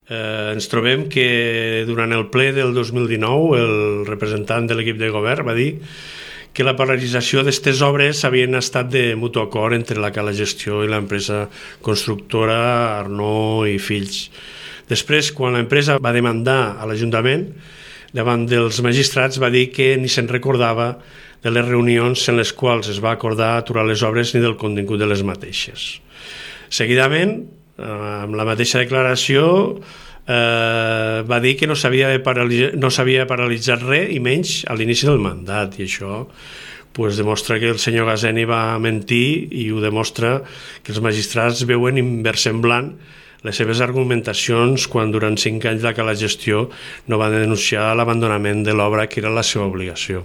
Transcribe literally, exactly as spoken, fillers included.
Eh, ens trobem que durant el ple del dos mil dinou el representant de l'equip de govern va dir que la paralització d'aquestes obres havien estat de mutu acord entre la Cala Gestió i l'empresa constructora Arnaud i Fills. Després, quan l'empresa va demandar a l'Ajuntament, davant dels magistrats va dir que ni se'n recordava de les reunions en les quals es va acordar aturar les obres ni del contingut de les mateixes. Seguidament, amb la mateixa declaració, eh, va dir que no s'havia paralitzat, no s'havia paralitzat res i menys a l'inici del mandat, i això pues, demostra que el senyor Gazeni va mentir i ho demostra que els magistrats veuen inversemblant les seves argumentacions quan durant cinc anys la Cala Gestió no va denunciar l'abandonament de l'obra que era la seva obligació.